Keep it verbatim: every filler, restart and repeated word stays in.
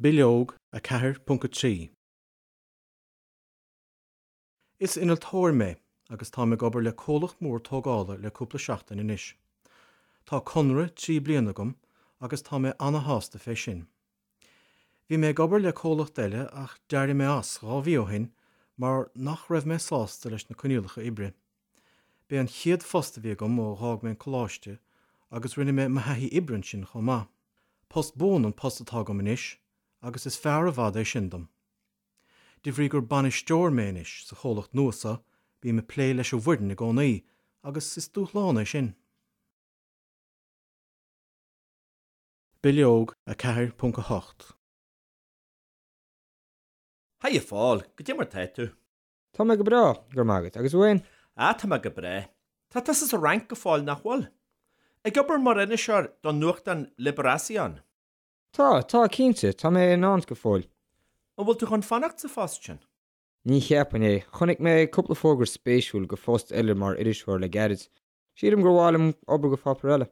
Bileog a ceathair ponc a trí. Is innealtóir mé agus táim ag obair le comhlacht mór tógála le cúpla seachtain anois. Tá conradh trí bliana agam agus tá mé an-shásta fé sin. Bhí mé ag obair le comhlacht eile ach d'éirigh mé as dhá mhí ó shin mar nach raibh mé sásta leis na coinníollacha oibre. B'é an chéad phost a bhí agam ó d'fhág mé an coláiste agus rinne mé mo thaithí oibre ansin chomh maith. Post buan an post atá agam anois agus is fearr i bhfad é sin dom. De bhrí gur bainisteoir mé anois sa chomhlacht nua seo, bím ag plé leis an bhfoireann i gcónaí agus is dúshlán é sin. Bileog a ceathair ponc a hocht. Haigh a Phóil, goidé mar tá tú? Tá mé go breá, go raibh maith agat, agus thú féin? Ah, tá mé go breá. Tá tusa sa Fhrainc go fóill, nach bhfuil? Ag obair mar iriseoir don nuachtán Libération. Tá, tá, cinnte, tá mé i Nantes go fóill. An bhfuil tú chun fanacht sa phost sin? Ní cheapaim é. Chonaic mé cúpla fógra spéisiúil do phost eile mar iriseoir le gairid. Sílim gur mhaith liom obair do pháipéar eile.